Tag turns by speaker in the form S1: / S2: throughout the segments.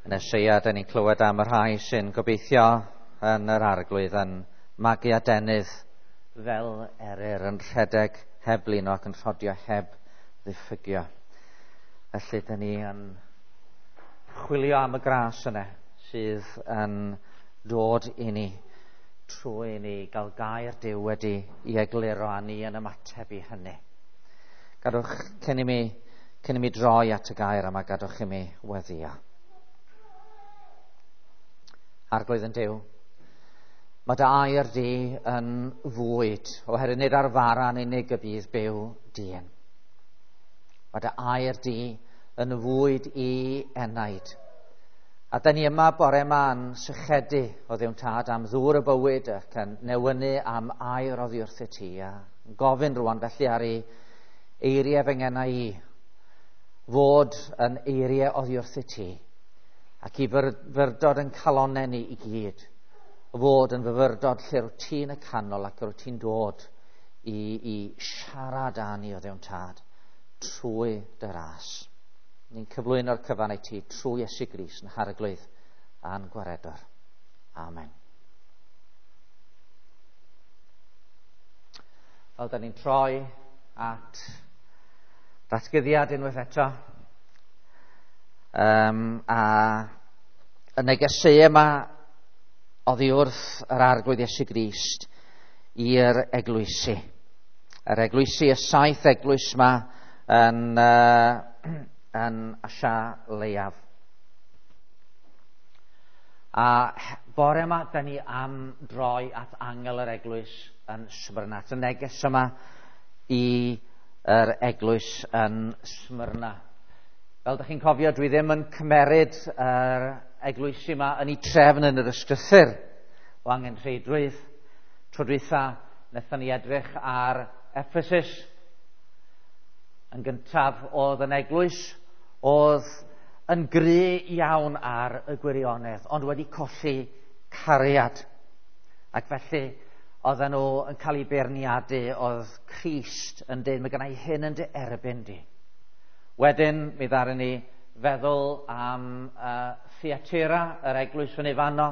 S1: Yn Eseia, da ni'n clywed am y rhai sy'n gobeithio yn yr Arglwydd yn magu adenydd fel eryr, yn rhedeg heb blino ac yn rhodio heb ddiffygio. Felly, da ni yn chwilio am y gras yna sydd yn dod i ni trwy i ni gael gair Duw wedi i egluro a ni yn ymateb i hynny. Gadwch cyn i mi droi at y gair yma, gadwch i mi weddio. Arglwydd ein Duw, mae dy air di yn fwyd, oherwydd nid ar fara'n unig y bydd byw dyn. Mae dy air di yn fwyd i enaid. A da ni yma bore yma yn sychedu o Dduw Tad am ddŵr y bywyd ac yn newynu am air oddi wrth ti. A gofyn rwan felly ar i eiriau fy ngenau i fod yn eiriau oddi wrth ti ac i fyfyrdod yn calonau ni i gyd fod yn fyfyrdod lle rwyt ti'n y canol ac rwyt ti'n dod i siarad â ni o Dduw Tad trwy dy ras. Ni'n cyflwyno'r cyfan i ti trwy Iesu Grist yn Harglwydd a'n Gwaredwr. Amen. Fel da ni'n troi at Ddatguddiad unwaith eto. A y negeseuau yma oddi wrth yr Arglwydd Iesu Grist i'r eglwysi. Yr eglwysi, y saith eglwys yma yn Asia Leiaf. A bore yma, da ni am droi at angel yr eglwys yn Smyrna. At y neges yma i yr eglwys yn Smyrna. Fel ydych chi'n cofio, dwi ddim yn cymeryd yr eglwysi yma yn ei trefn yn yr ysgrythur o angenrheidrwydd. Tro dwytha, wnaethon ni edrych ar Ephesus. Yn gyntaf oedd yn eglwys, oedd yn gry iawn ar y gwirionedd, ond wedi colli cariad. Ac felly, oedden nhw yn cael eu beirniadu, oedd Crist yn dweud, "Mae gennai hyn yn dy erbyn di." Wedyn, mi ddaru ni feddwl am Thyatira, yr eglwys fyny fanno,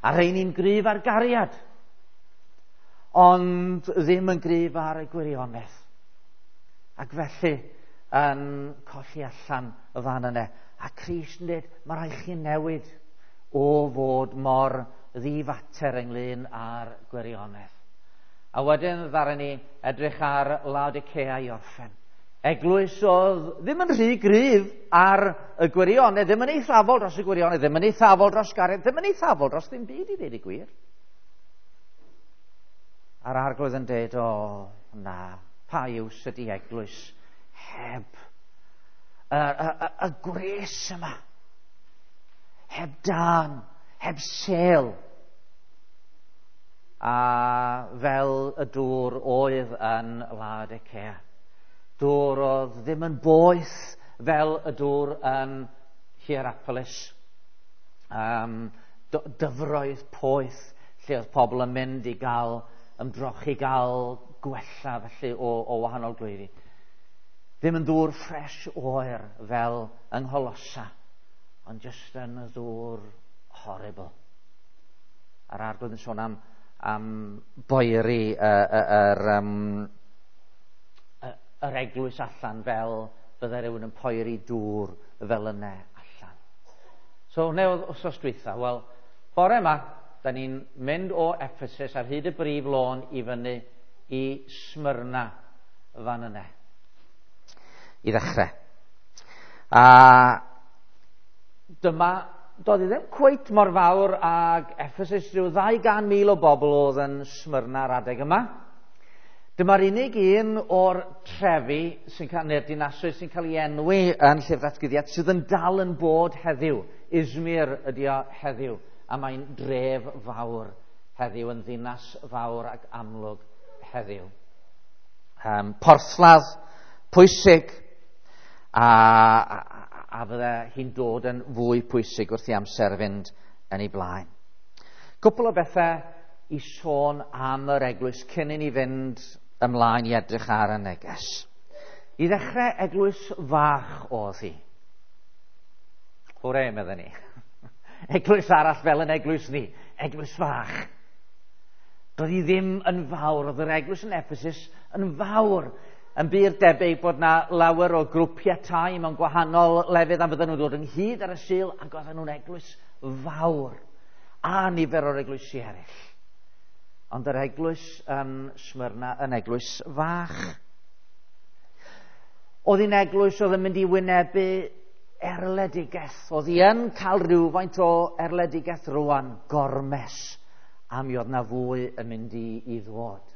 S1: a rheini'n gryf ar gariad, ond ddim yn gryf ar y gwirionedd. Ac felly, yn colli allan y fan yna. A Crist yn dweud, "Mae rhaid chi newid o fod mor ddifater ynglyn â'r gwirionedd." A wedyn ddaru ni edrych ar Laodicea i orffen. Eglwys oedd ddim yn rhy gryf ar y gwirionedd, ddim yn eithafol dros y gwirionedd, ddim yn eithafol dros gariad, ddim yn eithafol dros ddim byd i ddweud y gwir. A'r Arglwydd yn dweud, "O, na, pa iws ydy eglwys heb y gwres yma, heb dan, heb sêl?" A fel y dŵr oedd yn Laodicea. Dŵr oedd ddim yn boeth fel y dŵr yn Hierapolis. Dyfroedd poeth lle oedd pobl yn mynd i gael ymdrochi, gael gwella felly o wahanol glwyfi. Ddim yn ddŵr ffres oer fel yng Ngholosa, ond jyst yn y ddŵr horrible. A'r Arglwydd yn sôn am boeri yr eglwys allan fel bydde rhywun yn poeri dŵr fel yna allan. So, hwnna oedd wsos dwytha. Wel, bore yma, da ni'n mynd o Ephesus ar hyd y brif lôn i fyny i Smyrna fan yna. I ddechrau. A dyma, doedd i ddim cweit mor fawr ag Ephesus, rhyw 200,000 o bobl oedd yn Smyrna ar adeg yma. Dyma'r unig un o'r trefi sy'n cael, neu'r dinasoedd sy'n cael ei enwi yn Llyfr Datguddiad sydd yn dal yn bod heddiw. Izmir ydy o heddiw, a mae'n dref fawr heddiw, yn ddinas fawr ac amlwg heddiw. Porthladd pwysig, a fydde hi'n dod yn fwy pwysig wrth i amser fynd yn ei blaen. Cwpl o bethau i sôn am yr eglwys cyn i ni fynd ymlaen i edrych ar y neges. I ddechrau, eglwys fach oedd hi. Hwre, meddwn ni. Eglwys arall fel yn eglwys ni, eglwys fach. Doedd hi ddim yn fawr, oedd yr eglwys yn Ephesus yn fawr. Yn bur debyg bod na lawer o grwpiau tai mewn gwahanol lefydd a fydden nhw'n dod ynghyd ar y Sul, ac oedden nhw'n eglwys fawr a nifer o'r eglwysi eraill. Ond yr eglwys yn Smyrna yn eglwys fach. Oedd hi'n eglwys oedd yn mynd i wynebu erledigaeth. Oedd hi yn cael rhywfaint o erledigaeth rwan, gormes, a mi oedd na fwy yn mynd i ddod.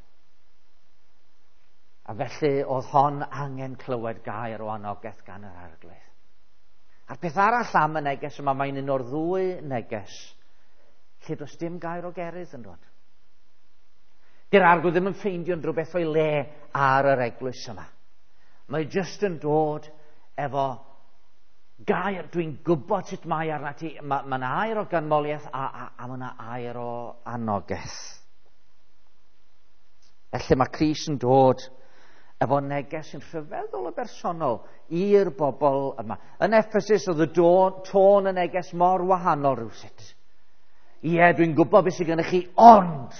S1: A felly oedd hon angen clywed gair o anogaeth gan yr Arglwydd. A'r peth arall am y neges yma, mae'n un o'r ddwy neges lle does dim gair o gerydd yn dod. Di'r Arglwydd ddim yn ffeindio unrhyw beth o'i le ar yr eglwys yma. Mae jyst yn dod efo gair, dwi'n gwybod sut mae arna ti. Mae yna air o ganmoliaeth a mae yna air o anogaeth. Felly mae Crist yn dod efo neges yn rhyfeddol o bersonol i'r bobl yma. Yn Ephesus oedd y tôn y neges mor wahanol rhywsut. Ie, dwi'n gwybod beth sydd gennych chi, ond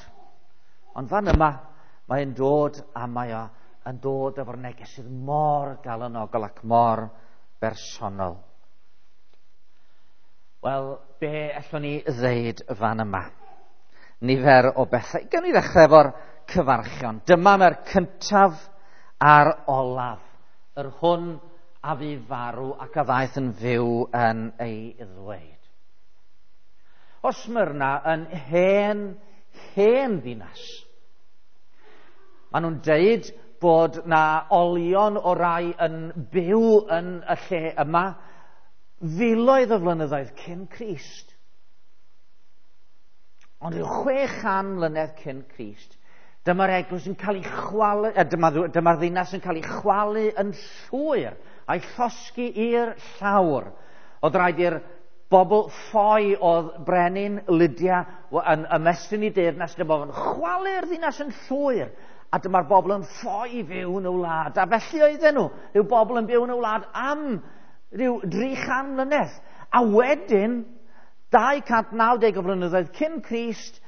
S1: fan yma mae'n dod a mae o yn dod efo'r neges sydd mor galonogol ac mor bersonol. Wel, be allwn ni ddeud fan yma? Nifer o bethau. Gawn ni ddechrau efo'r cyfarchion. Dyma mae'r cyntaf a'r olaf, yr hwn a fu farw ac a ddaeth yn fyw yn ei ddweud. O Smyrna yn hen ddinas. Maen nhw'n deud bod na olion o rai yn byw yn y lle yma filoedd o flynyddoedd cyn Crist. Ond rhyw 600 mlynedd cyn Crist, dyma'r eglwys yn cael ei chwalu, dyma'r ddinas yn cael ei chwalu yn llwyr a'i llosgi i'r llawr. Oedd rhaid i'r bobl ffoi oedd brenin Lydia yn ymestyn i deyrnas, dyma fo'n chwalu'r ddinas yn llwyr, a dyma'r bobl yn ffoi fyw yn y wlad. A felly oedden nhw, rhyw bobl yn byw yn y wlad am rhyw 300 mlynedd. A wedyn, 290 o flynyddoedd cyn Crist,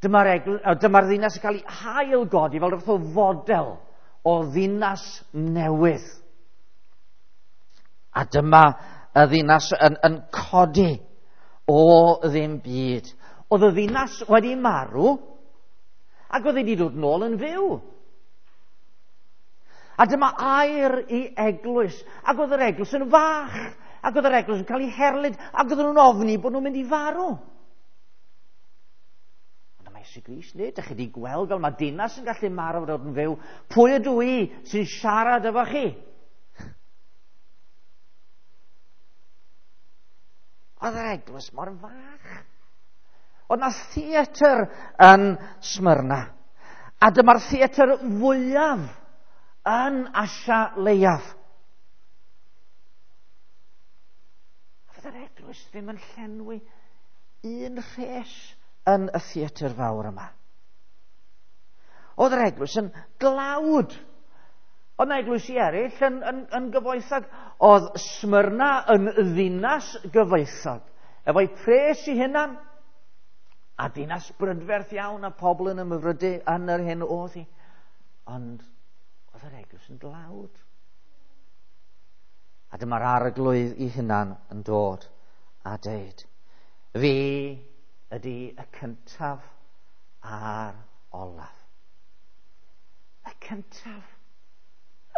S1: dyma'r ddinas yn cael ei hailgodi fel rhywbeth o fodel o ddinas newydd. A dyma y ddinas yn codi o ddim byd. Oedd y ddinas wedi marw ac oedd wedi dod nôl yn fyw. A dyma air i eglwys, ac oedd yr eglwys yn fach, ac oedd yr eglwys yn cael ei herlid, ac oedden nhw'n ofni bod nhw'n mynd i farw. Ond mae Iesu Grist, nid, ydych chi wedi gweld fel mae dinas yn gallu marw dod yn fyw. Pwy ydw i sy'n siarad efo chi? Oedd yr eglwys mor fach. Oedd na theatr yn Smyrna. A dyma'r theatr fwyaf yn Asia Leiaf. A fydd yr eglwys ddim yn llenwi un rhes yn y theatr fawr yma. Oedd yr eglwys yn glawd. Oedd na eglwysi eraill yn gyfoethog. Oedd Smyrna yn ddinas gyfoethog, efo'i pres i hunan, a dinas brydferth iawn a pobl yn ymhyfrydu yn yr hyn oedd hi. Ond oedd yr eglwys yn dlawd. A dyma'r Arglwydd i hunan yn dod a deud, fi ydy y cyntaf a'r olaf. Y cyntaf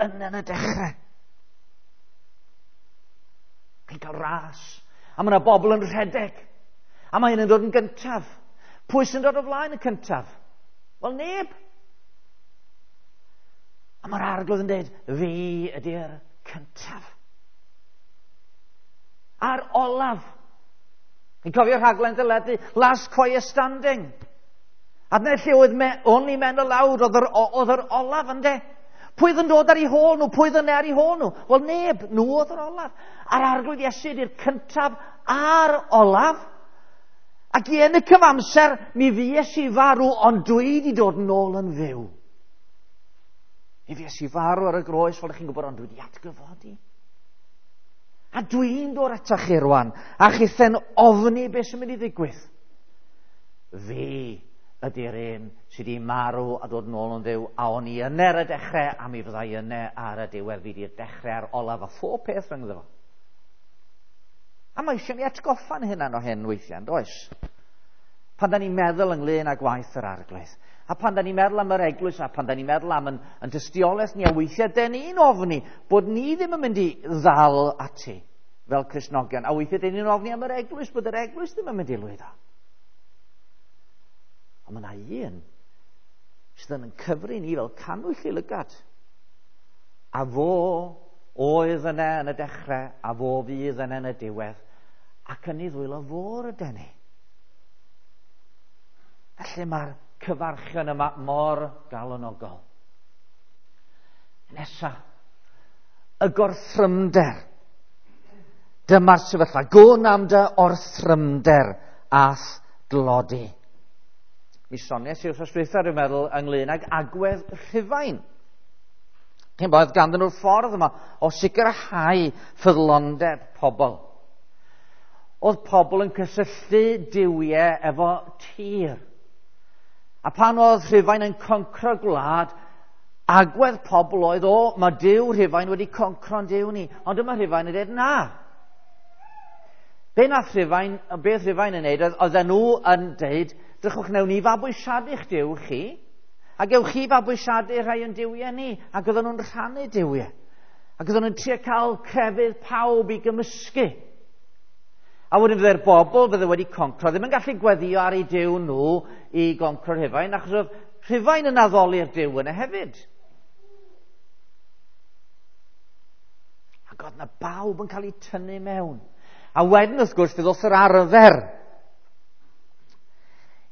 S1: yn y dechrau. Chi'n cael ras, a mae yna bobl yn rhedeg, a mae hyn yn dod yn gyntaf. Pwy sy'n dod o flaen y cyntaf? Wel, neb. A mae'r Arglwydd yn dweud, fi ydy'r cyntaf. A'r olaf. Chi'n cofio rhaglen deledu, Last Choir Standing. A dyna lle oedd Only Men Aloud, oedd yr olaf ynde. Pwy oedd yn dod ar ei hôl nhw? Pwy oedd yn ar ei hôl nhw? Wel, neb. Nhw oedd yr olaf. A'r Arglwydd Iesu ydy'r cyntaf a'r olaf. Ac i yn y cyfamser, mi fues i farw, ond dwi wedi dod nôl yn fyw. Mi fues i farw ar y groes, fel ydych chi'n gwybod, ond dwi wedi atgyfodi. A A dwi'n dod atach chi rwan, a chithen ofni beth sy'n mynd i ddigwydd. Fi ydy'r un sydd wedi marw a dod nôl yn fyw, a o'n i yna ar y dechrau, a mi fyddai yna ar y diwedd. Fi di'r dechrau a'r olaf a phob peth rhyngddo fo. A mae eisiau ni atgoffa'n hynna o hyn weithiau, yn does? Pan da ni'n meddwl ynglyn â gwaith yr arglwydd, a pan da ni'n meddwl am yr eglwys, a pan da ni'n meddwl am yn tystiolaeth ni, a weithiau da ni'n ofni bod ni ddim yn mynd i ddal ati fel Cristnogion, a weithiau da ni'n ofni am yr eglwys, bod yr eglwys ddim yn mynd i lwyddo. Ond mae yna un sydd yn cyfri ni fel cannwyll i lygad. A fo oedd yna yn y dechrau, a fo fydd yna yn y diwedd, ac yn ei ddwylo fo ryden ni. Felly mae'r cyfarchion yma mor galonogol. Nesa, y gorthrymder. Dyma'r sefyllfa. Gwn am dy orthrymder a'th dlodi. Mi soniais i wrth dwytha, dwi'n meddwl, ynglyn ag agwedd Rhufain. Chi'n bod, ganddyn nhw'r ffordd yma o sicrhau ffyddlondeb pobl. Oedd pobl yn cysylltu duwiau efo tir. A pan oedd Rhufain yn concro gwlad, agwedd pobl oedd, o, mae Duw Rhufain wedi concro'n Duw ni. Ond dyma Rhufain yn dweud, na. Be nath Rhufain, beth Rhufain yn neud, oedden nhw yn dweud, drychwch, newn ni fabwysiadu'ch Duw chi, a gewch chi fabwysiadu rhai o'n duwiau ni, ac oedden nhw'n rhannu duwiau. Ac oedden nhw'n trio cael crefydd pawb i gymysgu. A wedyn fydde'r bobl fydde wedi concro ddim yn gallu gweddio ar eu Duw nhw i goncro Rhufain, achos oedd Rhufain yn addoli'r Duw yna hefyd. Ac oedd yna bawb yn cael eu tynnu mewn. A wedyn, wrth gwrs, fe ddoth yr arfer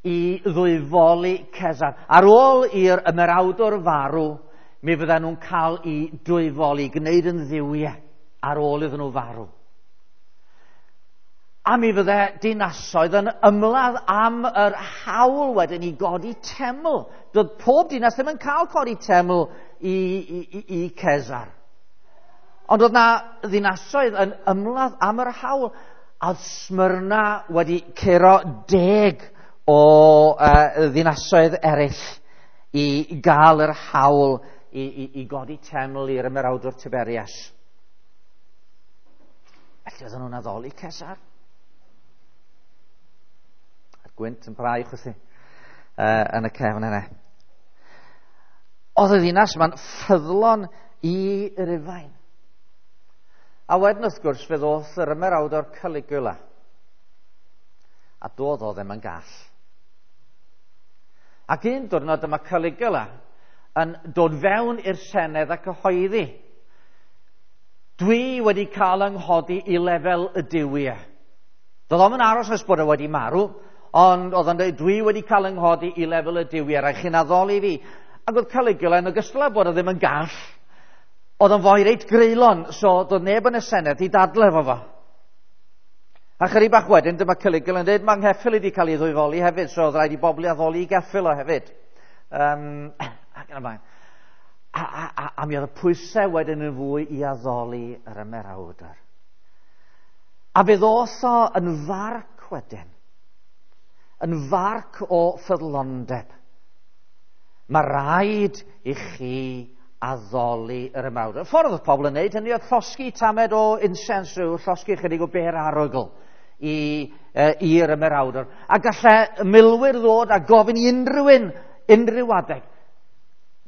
S1: i ddwyfoli Cesar. Ar ôl i'r ymerawdwr farw, mi fydden nhw'n cael eu dwyfoli, gwneud yn dduwiau ar ôl iddyn nhw farw. A mi fydde dinasoedd yn ymladd am yr hawl wedyn i godi teml. Doedd pob dinas ddim yn cael codi teml i Cesar. Ond oedd na ddinasoedd yn ymladd am yr hawl. A oedd Smyrna wedi curo 10 o ddinasoedd eraill i gael yr hawl i godi teml i'r ymerawdwr Tiberias. Felly oedden nhw'n addoli Cesar. A'r gwynt yn brau chwythu yn y cefn yna. Oedd y ddinas yma'n ffyddlon i Rufain. A wedyn wrth gwrs fe ddoth yr ymerawdwr Caligula. A doedd o ddim yn gall. Ac un diwrnod dyma Caligula yn dod fewn i'r Senedd a cyhoeddi, dwi wedi cael yng nghodi i lefel y duwiau. Doedd o'm yn aros nes bod o wedi marw, ond oedd o'n dweud, dwi wedi cael yng nghodi i lefel y duwiau, rhaid chi'n addoli fi. Ac oedd Caligula yn ogystal â bod o ddim yn gall, oedd o'n foi reit greulon, so doedd neb yn y Senedd i dadle efo fo. A chydig bach wedyn, dyma Caligula yn dweud, mae ngheffyl wedi cael ei ddwyfoli hefyd, so oedd rhaid i bobl i addoli i geffyl o hefyd. Ac yn y blaen. A mi oedd y pwysau wedyn yn fwy i addoli yr ymerawdwr. A fe ddoth o yn farc wedyn, yn farc o ffyddlondeb. Mae rhaid i chi addoli yr ymerawdwr. Y ffordd oedd pobl yn neud hynny oedd llosgi tamed o insens, rhyw llosgi chydig o ber arogl i'r ymerawdwr. A gallai milwyr ddod a gofyn i unrhyw un, unrhyw adeg,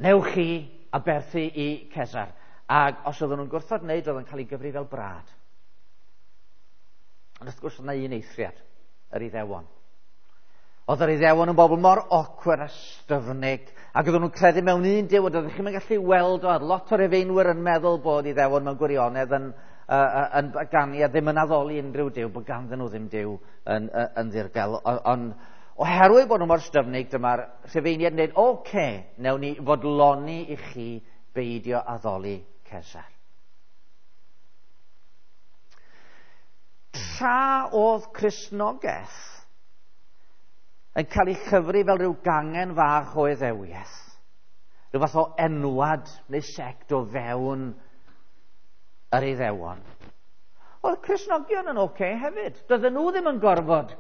S1: newch chi aberthu i Cesar. Ac os oedden nhw'n gwrthod wneud, oedd yn cael ei gyfri fel brad. Ond wrth gwrs oedd yna un eithriad, yr Iddewon. Oedd yr Iddewon yn bobl mor awkward a styfnig, ac oedden nhw'n credu mewn un Duw, ond oeddech chi'n gallu weld o, lot o'r Rufeinwyr yn meddwl bod Iddewon mewn gwirionedd yn ganu a ddim yn addoli unrhyw Duw, bod ganddyn nhw ddim Duw yn ddirgel. Ond oherwydd bod nhw mor styfnig, dyma'r Rhufeiniaid yn dweud, oce, newn ni fodloni i chi beidio addoli Cesar. Tra oedd Cristnogaeth yn cael ei chyfri fel rhyw gangen fach o Iddewiaeth, rhyw fath o enwad neu sect o fewn yr Iddewon, oedd Cristnogion yn oce hefyd. Doedden nhw ddim yn gorfod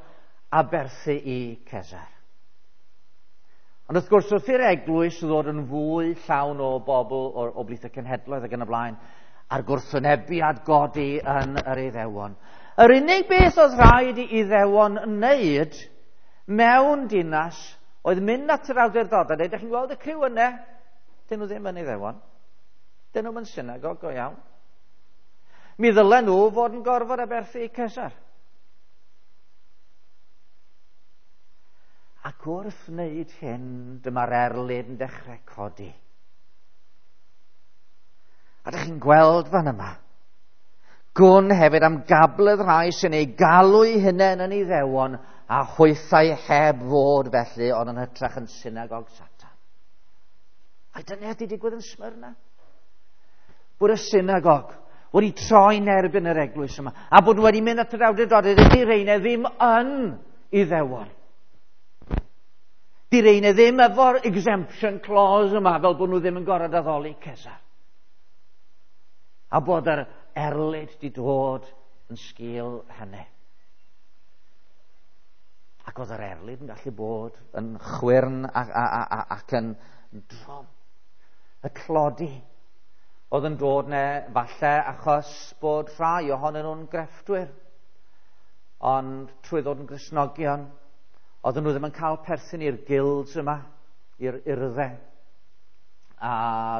S1: aberthu i Cesar. Ond wrth gwrs, wrth i'r eglwys ddod yn fwy llawn o bobl o blith y cenhedloedd ac yn y blaen, a'r gwrthwynebiad godi yn yr Iddewon. Yr unig beth oedd rhaid i Iddewon wneud mewn dinas oedd mynd at yr awdurdodau. Dych chi'n gweld y criw yna? Dyn nhw ddim yn Iddewon. Dyn nhw'n synagog go iawn. Mi ddylen nhw fod yn gorfod aberthu i Cesar. Ac wrth wneud hyn, dyma'r erlid yn dechrau codi. A dych chi'n gweld fan yma. Gwn hefyd am gabledd rhai sy'n ei galw eu hunain yn Iddewon a hwythau heb fod felly, ond yn hytrach yn synagog Satan. A dyna ydy digwydd yn Smyrna. Bod y synagog wedi troi'n erbyn yr eglwys yma, a bod wedi mynd at yr awdurdodau, dydy reina ddim yn Iddewon. Di reina ddim efo'r exemption clause yma, fel bod nhw ddim yn gorfod addoli Cesar. A bod yr erlid di dod yn sgil hynny. Ac oedd yr erlid yn gallu bod yn chwyrn ac yn drom. Y tlodi oedd yn dod ne falle achos bod rhai ohonyn nhw'n grefftwyr. Ond trwy ddod yn Gristnogion, oedden nhw ddim yn cael perthyn i'r guilds yma, i'r urddau. A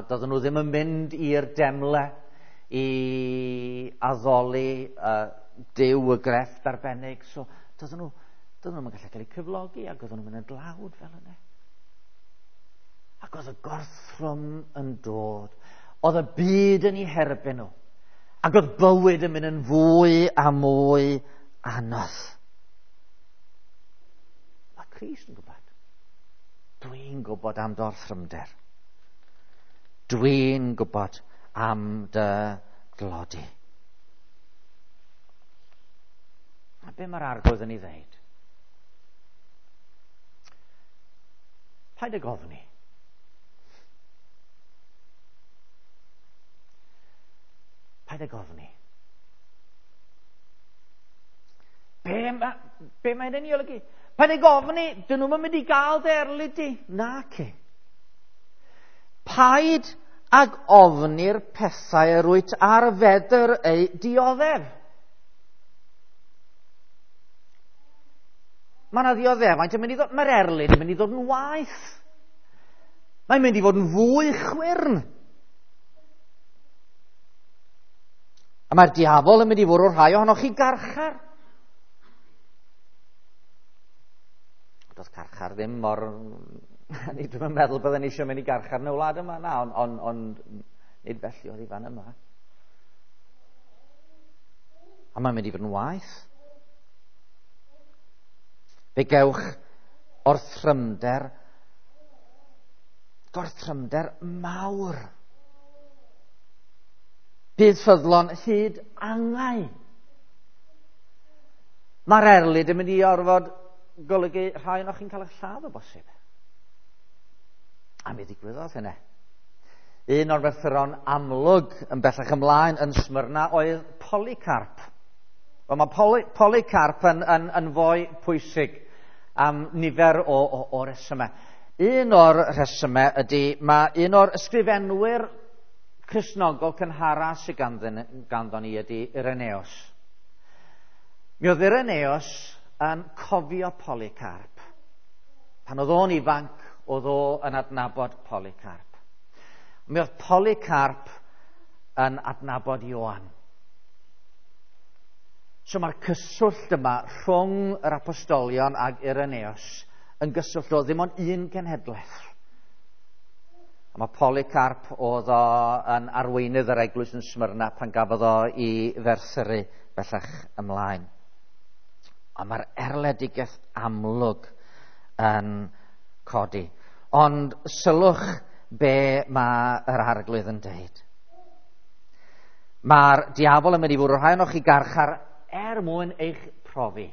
S1: doedden nhw ddim yn mynd i'r demle i addoli Duw y grefft arbennig. So doedden nhw'n gallu cael eu cyflogi ac oedden nhw'n mynd yn dlawd fel yna. Ac oedd y gorthrwm yn dod. Oedd y byd yn eu herbyn nhw. Ac oedd bywyd yn mynd yn fwy a mwy anodd. Mae Crist yn gwybod. Dwi'n gwybod am dy orthrymder. Dwi'n gwybod am dy dlodi. A be mae'r Arglwydd yn ei ddeud? Paid ag ofni. Paid ag ofni. Be mae'n ei olygu? Paid ag ofni, dyn nhw'n mynd i gael dy erlid di. Naci. Paid ag ofni'r pethau yr wyt ar fedr eu dioddef. Mae yna ddioddefaint yn mynd i ddod, mae'r erlid yn mynd i ddod yn waeth. Mae'n mynd i fod yn fwy chwyrn. A mae'r diafol yn mynd i fwrw rhai ohonoch chi garchar. Doedd carchar ddim mor... Ni dwi'm yn meddwl bydden ni eisiau mynd i garchar yn y wlad yma, na, ond nid felly oedd hi fan yma. A mae'n mynd i fod yn waeth. Fe gewch orthrymder, gorthrymder mawr. Bydd ffyddlon hyd angau. Mae'r erlid yn mynd i orfod golygu rhai ohonoch chi'n cael eich lladd o bosib. A mi ddigwyddodd hynny. Un o'r merthyron amlwg yn bellach ymlaen yn Smyrna oedd Polycarp. Wel, mae Polycarp yn fwy pwysig am nifer o resymau. Un o'r rhesymau ydy, mae un o'r ysgrifenwyr Cristnogol cynhara sydd ganddo ni ydy Irenaeus. Mi oedd Irenaeus yn cofio Polycarp. Pan oedd o'n ifanc, oedd o yn adnabod Polycarp. Mi oedd Polycarp yn adnabod Ioan. So mae'r cyswllt yma rhwng yr apostolion ag Irenaeus yn gyswllt o ddim ond un genhedlaeth. A mae Polycarp oedd o yn arweinydd yr eglwys yn Smyrna pan gafodd o i ferthyru bellach ymlaen. A mae'r erledigaeth amlwg yn codi. Ond sylwch be mae yr Arglwydd yn deud. Mae'r diafol yn mynd i fwrw rhai ohonoch chi garchar er mwyn eich profi.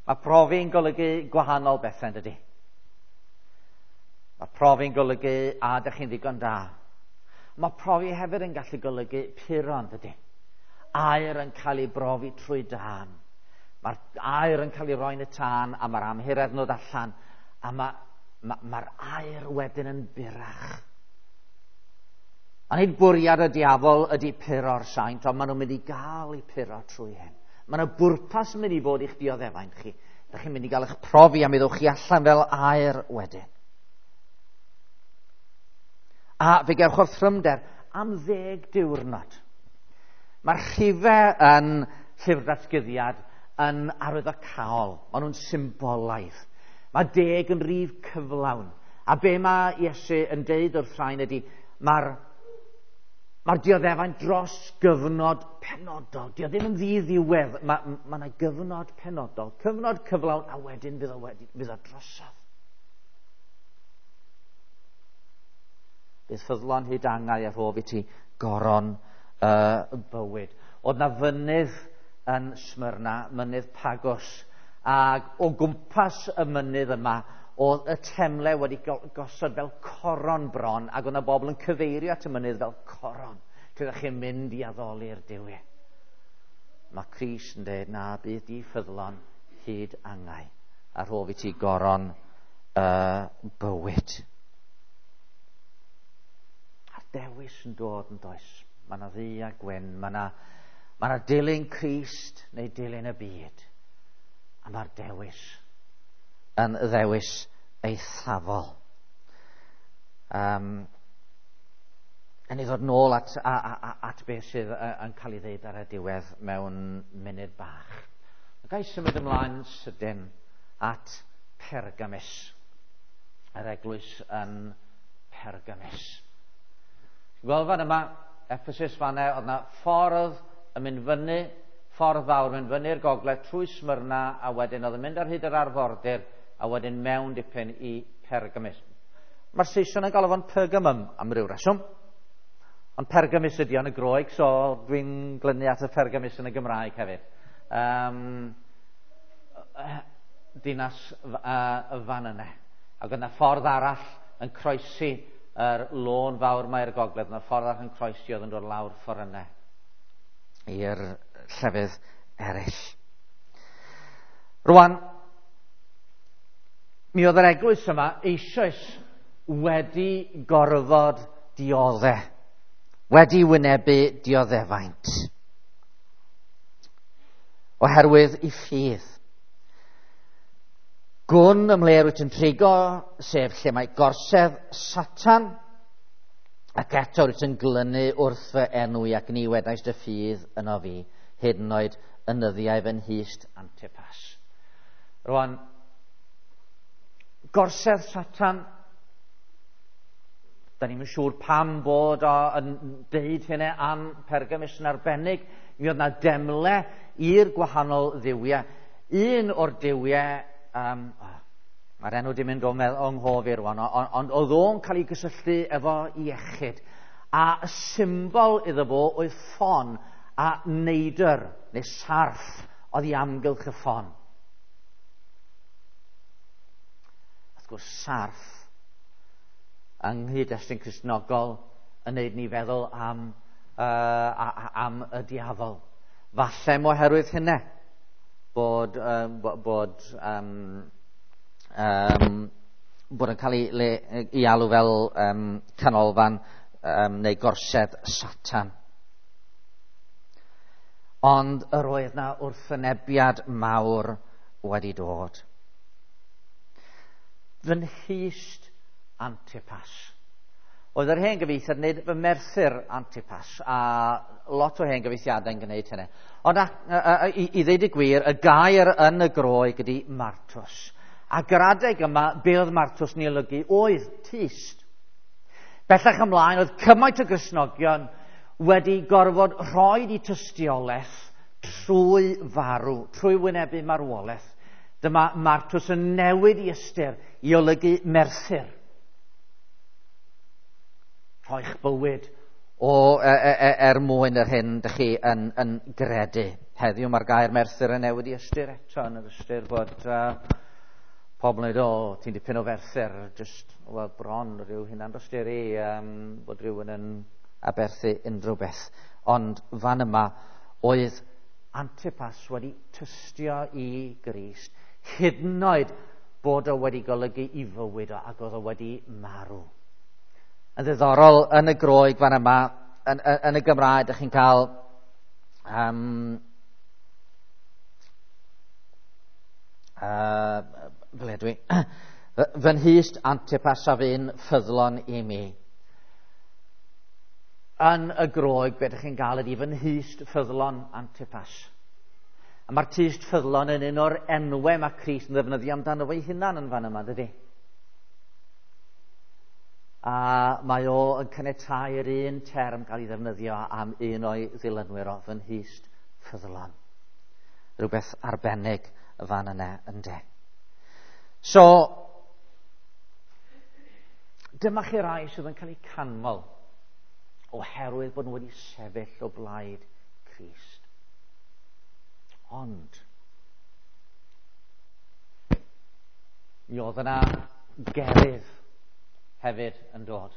S1: Mae profi'n golygu gwahanol bethau, yn dydy? Mae profi'n golygu a ydych chi'n ddigon da. Mae profi hefyd yn gallu golygu puro, yn dydy? Aer yn cael ei brofi trwy dân. Mae'r aer yn cael ei roi'n y tân a mae'r amhuredd yn dod allan a mae'r aer wedyn yn burach. A nid bwriad y diafol ydy puro'r saint, ond maen nhw'n mynd i gael eu puro trwy hyn. Mae yna bwrpas yn mynd i fod i'ch dioddefaint chi. Dych chi'n mynd i gael eich profi a mi ddewch chi allan fel aer wedyn. A fe gewch orthrymder am 10 diwrnod. Mae'r rhifau yn Llyfr Datguddiad yn arwyddocaol. Maen nhw'n symbolaidd. Mae 10 yn rif cyflawn. A be mae Iesu yn deud wrth rhain ydy, mae'r dioddefaint dros gyfnod penodol. Dio ddim yn ddiddiwedd. Mae yna gyfnod penodol. Cyfnod cyflawn, a wedyn fydd o drosodd. Bydd ffyddlon hyd angau a rhof i ti goron bywyd. Oedd na fynydd yn Smyrna, mynydd Pagos, ac o gwmpas y mynydd yma oedd y temle wedi gosod fel coron bron, ac oedd na bobl yn cyfeirio at y mynydd fel coron, lle ydych chi'n mynd i addoli'r duwiau. Mae Crist yn dweud, na, bydd di ffyddlon hyd angau, a rhof i ti goron bywyd. A'r dewis yn dod yn does. Mae yna ddu a gwyn, mae yna dilyn Crist neu dilyn y byd. A mae'r dewis yn ddewis eithafol. Yn ei ddod nôl at beth sydd yn cael ei ddeud ar y diwedd mewn munud bach. Ga i symud ymlaen sydyn at Pergamus. Yr eglwys yn Pergamus. Gweld fan yma, Ephesus fan'na, oedd yna ffordd yn mynd fyny, ffordd fawr mynd fyny'r gogledd trwy Smyrna, a wedyn oedd yn mynd ar hyd yr arfordir, a wedyn mewn dipyn i Pergamus. Mae'r Saeson yn galw fo'n Pergamum am ryw reswm. Ond Pergamus ydi o'n y Groeg, so dwi'n glynu at y Pergamus yn y Gymraeg hefyd. Dinas fan yna. Ac oedd yna ffordd arall yn croesi yr lôn fawr mae'r gogledd, yna ffordd arall yn croesi oedd yn dod lawr ffordd yna i'r llefydd eraill. Rwan, mi oedd yr eglwys yma eisoes wedi gorfod diodde, wedi wynebu dioddefaint, oherwydd i ffydd. Gwn ymhle wyt yn trigo, sef lle mae gorsedd Satan, ac eto wyt yn glynu wrth fy enw i ac ni wedais dy ffydd yno fi, hyd yn oed yn nyddiau fy nhyst Antipas. Rwan, gorsedd Satan, da ni'm yn siŵr pam bod o yn deud hynny am Pergamus yn arbennig. Mi oedd na demle i'r gwahanol dduwiau. Un o'r duwiau, mae'r enw di mynd o'n nghof i rwan, ond oedd o'n cael ei gysylltu efo iechyd. A y symbol iddo fo oedd ffon a neidr, neu sarff, oedd i amgylch y ffon. Wrth gwrs, sarff yng nghyd-destun Cristnogol yn neud ni feddwl am y diafol. Falle oherwydd hynny bod yn cael ei alw fel canolfan neu gorsedd Satan. Ond yr oedd na wrthwynebiad mawr wedi dod. Fy nhyst Antipas. Oedd yr hen gyfieithiad yn gwneud fy merthyr Antipas, a lot o hen gyfieithiadau'n gwneud hynny. Ond i ddeud y gwir, y gair yn y Groeg ydy martus. Ac yr adeg yma, be oedd martus yn ei olygu oedd tyst. Bellach ymlaen, oedd cymaint o Gristnogion wedi gorfod rhoi i tystiolaeth trwy farw, trwy wynebu marwolaeth. Dyma martus yn newid i ystyr i olygu merthyr. Rhoi'ch bywyd er mwyn yr hyn dych chi yn gredu. Heddiw mae'r gair merthyr yn newid i ystyr eto, yn yr ystyr bod pobl yn dweud, ti'n dipyn o ferthyr, just, well, bron rhyw hunan dosturi, bod rhywun yn aberthu unrhyw beth. Ond fan yma oedd Antipas wedi tystio i Grist, hyd yn oed bod o wedi golygu i fywyd o ac oedd o wedi marw. Yn ddiddorol, yn y Groeg fan yma, yn y Gymraeg, ydych chi'n cael ble dwi? Fy nhyst Antipas a fu'n ffyddlon i mi. Yn y Groeg, be ydych chi'n gael ydy fy nhyst ffyddlon Antipas. A mae'r tyst ffyddlon yn un o'r enwau mae Crist yn ddefnyddio amdano fo'i hunan yn fan yma, dydy? A mae o yn caniatáu yr un term gael ei ddefnyddio am un o'i ddilynwyr o, fy nhyst ffyddlon. Rhywbeth arbennig fan yna, ynde. So, dyma chi rai sydd yn cael eu canmol oherwydd bod nhw wedi sefyll o blaid Crist. Ond, mi oedd yna gerydd hefyd yn dod.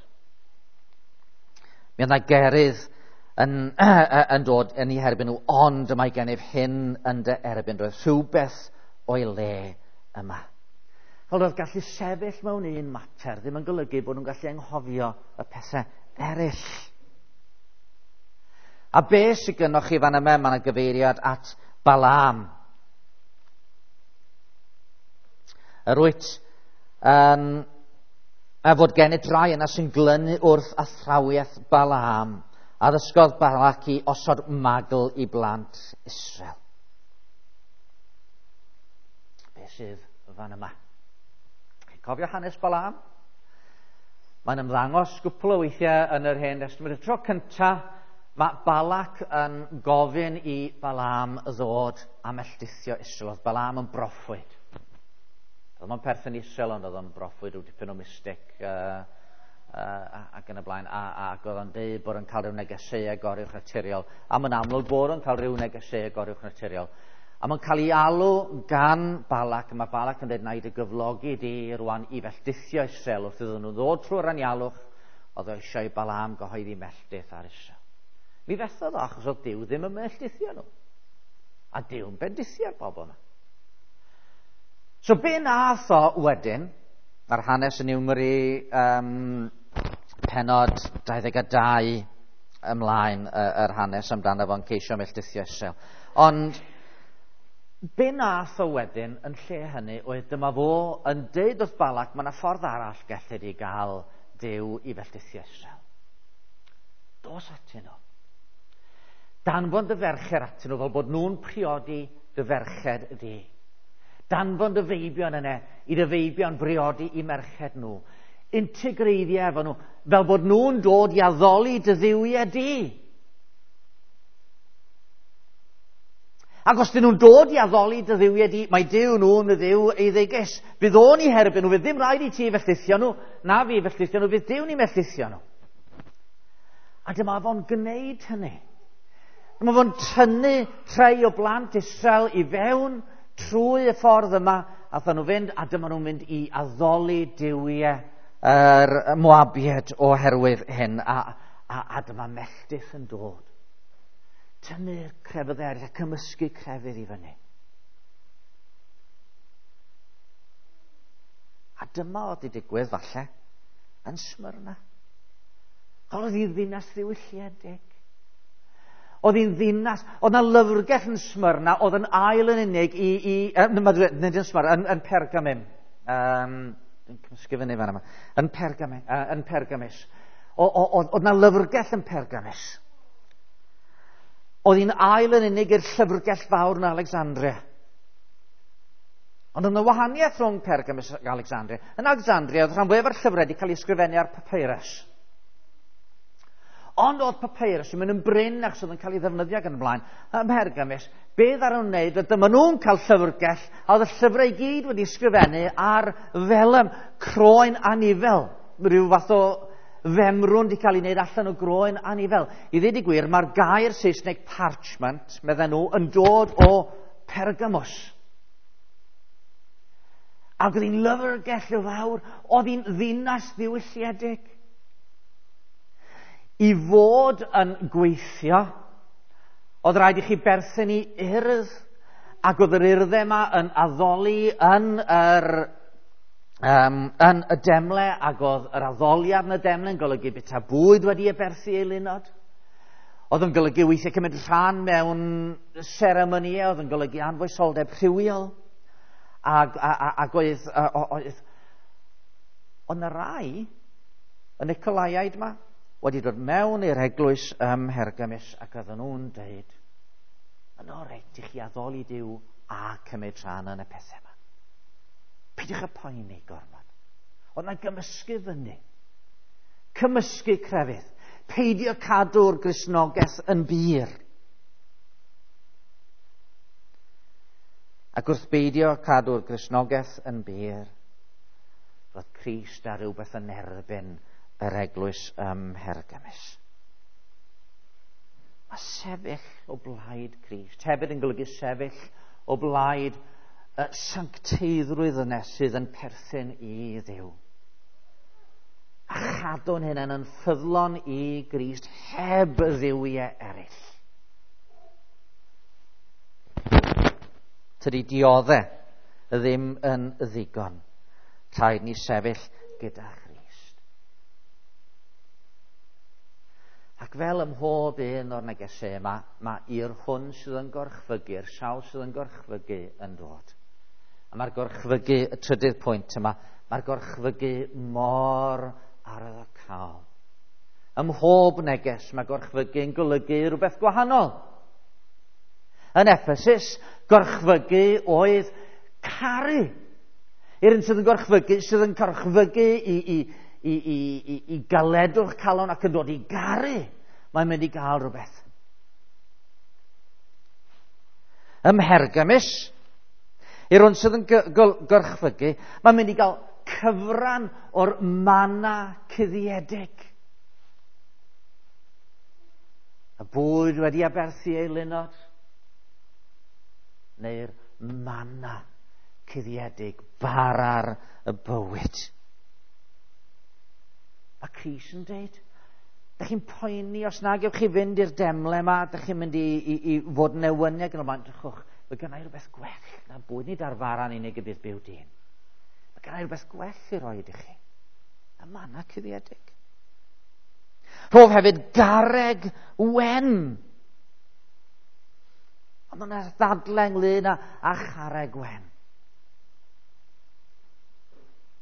S1: Mi oedd yna gerydd yn dod yn eu herbyn nhw, ond y mae gennyf hyn yn dy erbyn. Roedd rhywbeth o'i le yma. Fel roedd gallu sefyll mewn un mater ddim yn golygu bod nhw'n gallu anghofio y pethau eraill. A be sydd gynnoch chi fan yma? Mae yna gyfeiriad at Balaam. Yr wyt yn a fod gennyt rai yna sy'n glynu wrth athrawiaeth Balaam, a ddysgodd Balac i osod magl i blant Israel. Be sydd fan yma? Chi'n cofio hanes Balaam? Mae'n ymddangos gwpl o weithiau yn yr Hen Destament. Y tro cyntaf, mae Balac yn gofyn i Balaam ddod a melltithio Israel. Oedd Balaam yn broffwyd. Oedd o'n perthyn Israel, ond oedd o'n broffwyd rhyw dipyn o mystic ac yn y blaen. Ac oedd o'n deud bod o'n cael rhyw negeseuau goruwchnaturiol. A mae'n amlwg bod o'n cael rhyw negeseuau goruwchnaturiol. A mae'n cael ei alw gan Balac. A mae Balac yn dweud, na i dy gyflogi di rwan i felltithio Israel. Wrth iddyn nhw ddod trwy'r anialwch, oedd o eisiau i Balaam gyhoeddi melltith ar Israel. Mi fethodd o, achos oedd Duw ddim yn melltithio nhw. A Duw'n bendithio'r bobl yma. So be nath o wedyn, mae'r hanes yn Niwmri penod 22 ymlaen yr hanes amdano fo'n ceisio melltithio Israel. Ond be nath o wedyn yn lle hynny oedd dyma fo yn deud wrth Balac, mae yna ffordd arall gellid i gael Duw i felltithio Israel. Dos atyn nhw. Danfon dy ferched atyn nhw fel bod nhw'n priodi dy ferched di. Danfon dy feibion yna i dy feibion briodi i merched nhw. Integreiddio efo nhw fel bod nhw'n dod i addoli dy dduwiau di. Ac os dyn nhw'n dod i addoli dy dduwiau di, mae Duw nhw'n y Dduw eiddigus. Fydd o'n i herbyn nhw, fydd ddim rhaid i ti felltithio nhw, na fi felltithio nhw, fydd Duw ni melltithio nhw. A dyma fo'n gwneud hynny. Dyma fo'n tynnu rhai o blant Israel i fewn trwy y ffordd yma, athon nhw fynd, a dyma nhw'n mynd i addoli duwiau yr Moabiaid oherwydd hyn, a dyma melltith yn dod. Tynnu'r crefydd eraill a cymysgu crefydd i fyny. A dyma oedd wedi digwydd falle yn Smyrna. Oedd hi'n ddinas ddiwylliedig. Oedd hi'n ddinas, oedd yna lyfrgell yn Smyrna, oedd yn ail yn unig nid yn Smyrna, yn Pergamum. Dwi'n cymysgu fyny fan yma. Yn Pergamus. Oedd yna lyfrgell yn Pergamus. Oedd hi'n ail yn unig i'r llyfrgell fawr yn Alexandria. Ond oedd yna wahaniaeth rhwng Pergamus ac Alexandria. Yn Alexandria, oedd rhan fwyaf o'r llyfrau wedi cael ei ysgrifennu ar papyrus. Ond oedd papyrus yn mynd yn brin achos oedd yn cael ei ddefnyddio gan y blaen. Ym Mhergamus, be ddaru nhw'n wneud, oedd dyma nhw'n cael llyfrgell, a oedd y llyfrau i gyd wedi ysgrifennu ar felym, croen anifel. Rhyw fath o femrwn wedi cael ei wneud allan o groen anifel. I ddweud y gwir, mae'r gair Saesneg parchment, medden nhw, yn dod o Pergamus. Ac oedd hi'n lyfrgell fawr, oedd hi'n ddinas ddiwylliedig. I fod yn gweithio, oedd rhaid i chi berthyn i urdd, ac oedd yr urddau yma yn addoli yn yr yn y demle, ac oedd yr addoliad yn y demle yn golygu bita bwyd wedi aberthu eilunod. Oedd yn golygu weithiau cymryd rhan mewn seremonïau, oedd yn golygu anfoesoldeb rhywiol. Ac, ac oedd, oedd, oedd na rai, y Nicolaiaid yma, wedi dod mewn i'r eglwys ym Mhergamus ac oedden nhw'n deud, yn o reit i chi addoli Duw a cymryd rhan yn y pethau yma. Peidiwch â poeni gormod. Oedd na gymysgu fyny. Cymysgu crefydd. Peidio cadw'r Gristnogaeth yn bur. Ac wrth beidio cadw'r Gristnogaeth yn bur, roedd Crist ar rhywbeth yn erbyn yr eglwys ym Mhergamus. Mae sefyll o blaid Crist hefyd yn golygu sefyll o blaid y sancteiddrwydd yna sydd yn perthyn i Dduw. A chadw'n hunain yn ffyddlon i Grist heb dduwiau eraill. Tydi dioddau ddim yn ddigon. Rhaid ni sefyll gyda Christ. Ac fel ym mhob un o'r negesau yma, mae i'r hwn sydd yn gorchfygu, i'r sawl sydd yn gorchfygu yn dod. A mae'r gorchfygu, y trydydd pwynt yma, mae'r gorchfygu mor arwyddocaol. Ym mhob neges mae gorchfygu yn golygu rhywbeth gwahanol. Yn Ephesus, gorchfygu oedd caru. I'r un sydd yn gorchfygu, sydd yn gorchfygu i, i, i, i, i, i galedwch calon ac yn dod i garu, mae'n mynd i gael rhywbeth. Ym Mhergamus, i'r hwn sydd yn gorchfygu, mae'n mynd i gael cyfran o'r mana cuddiedig. Y bwyd wedi aberthu ei lunod, neu'r mana cuddiedig, bara'r y bywyd. Mae Crist yn dweud, da chi'n poeni os nag ewch chi fynd i'r demle yma, da chi'n mynd i, i, i fod yn newyniau yn y blaen, drychwch, mae gennau rhywbeth gwell na bwyd, nid ar fara'n unig y bydd byw dyn. Mae gennau rhywbeth gwell i roi i chi. Y mana cuddiedig. Rhof hefyd garreg wen. Ond mae yna ddadle ynglyn â, â charreg wen.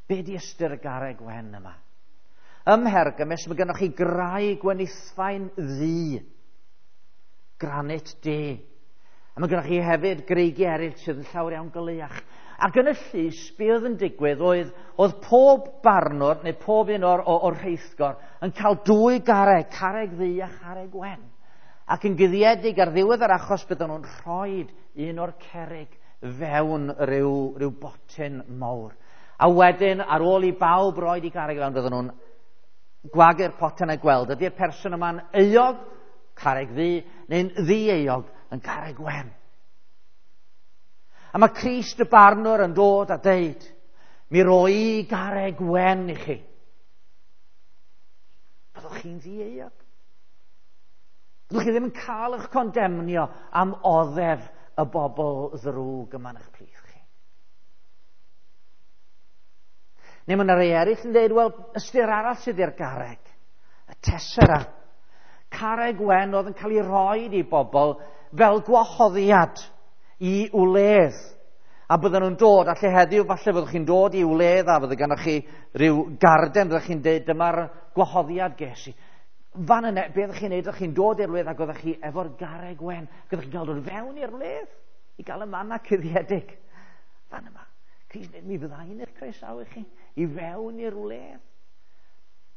S1: Be di ystyr y garreg wen yma? Ym Mhergamus, mae gennych chi graig wenithfaen ddu, granit du. A mae gennych chi hefyd greigiau eraill sydd yn llawer iawn goleuach. Ac yn y llys, be oedd yn digwydd oedd, oedd pob barnwr, neu pob un o'r, o'r rheithgor, yn cael dwy garreg, carreg ddu a charreg wen. Ac yn guddiedig ar ddiwedd yr achos bydden nhw'n rhoi un o'r cerrig fewn rhyw, rhyw botyn mawr. A wedyn, ar ôl i bawb roed i garreg fewn, bydden nhw'n gwagu'r potyn a gweld ydy'r person yma'n euog, carreg ddu, neu'n ddi-euog, yn carreg wen. A mae Crist y barnwr yn dod a deud, mi roi garreg wen i chi. Byddwch chi'n ddi-euog. Byddwch chi ddim yn cael eich condemnio am oddef y bobl ddrwg yma yn eich plith chi. Neu mae yna rei eraill yn dweud, wel, ystyr arall sydd i'r garreg, y tessera. Carreg wen oedd yn cael ei roi i bobl fel gwahoddiad i wledd. A bydden nhw'n dod, a lle heddiw falle fyddwch chi'n dod i wledd a fydde gennych chi rhyw garden, fyddwch chi'n dweud dyma'r gwahoddiad ges i. Fan yna, be oeddech chi'n neud? Oeddech chi'n dod i'r wledd ac oeddech chi efo'r garreg wen. Ac oeddech chi'n cael dod fewn i'r wledd i gael y manna cuddiedig. Fan yma, Crist dweud, mi fydda i'n eich croesawu chi i fewn i'r wledd.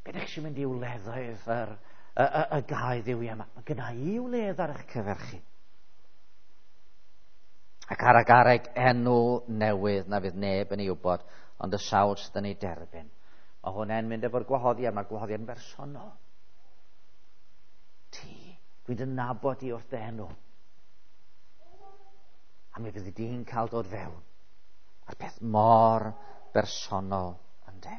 S1: Be ydych chi'n mynd i wleddoedd yr, y, y, y gau ddiwi yma? Mae gynna i wledd ar eich cyfer chi. Ac ar y garreg enw newydd na fydd neb yn ei wybod, ond y sawl sydd yn ei derbyn. Mae hwnna'n mynd efo'r gwahoddiad, mae'r gwahoddiad yn bersonol. Ti, dwi'n dy nabod i wrth dy enw. A mi fyddi di'n cael dod fewn. A'r peth mor bersonol, ynde?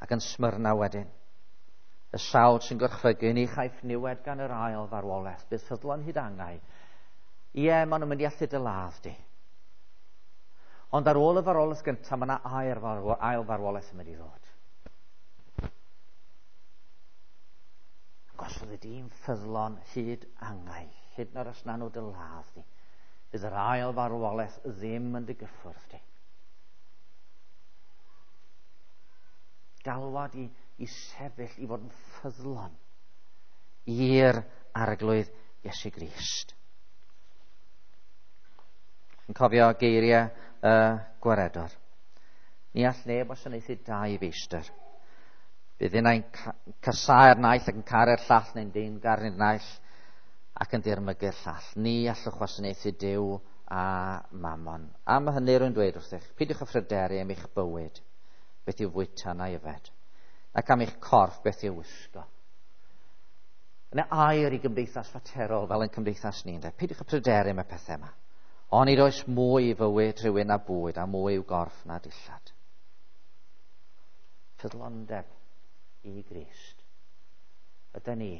S1: Ac yn Smyrna wedyn, y sawl sy'n gorchfygu ni chaiff niwed gan yr ail farwolaeth, bydd ffyddlon hyd angau. Ie, maen nhw'n mynd i allu dy ladd di. Ond ar ôl y farwolaeth gyntaf, mae yna ail farwolaeth yn mynd i ddod. Ac os fyddi di'n ffyddlon hyd angau, hyd yn oed os na nhw dy ladd di, bydd yr ail farwolaeth ddim yn dy gyffwrdd di. Galwad i sefyll, i fod yn ffyddlon i'r Arglwydd Iesu Grist. Yn cofio geiriau y Gwaredwr. Ni all neb wasanaethu dau feistr. Bydd unai'n casáu'r naill ac yn caru'r llall, neu'n deyrngar i'r naill ac yn dirmygu'r llall. Ni allwch wasanaethu Duw a Mammon. Am hynny rwy'n dweud wrthych, peidiwch â phryderu am eich bywyd, beth i'w fwyta na'i yfed, ac am eich corff, beth i'w wisgo. Yna air i gymdeithas faterol fel yn cymdeithas ni, ynde? Peidiwch â pryderu am y pethau yma. Ond nid oes mwy i fywyd rhywun na bwyd a mwy i'w gorff na dillad. Ffyddlondeb i Grist. Ydy ni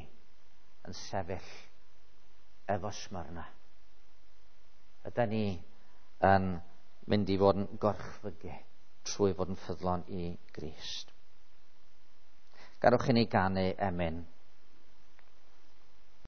S1: yn sefyll efo Smyrna? Ydy ni yn mynd i fod yn gorchfygu trwy fod yn ffyddlon i Grist? Gadewch i ni ganu emyn.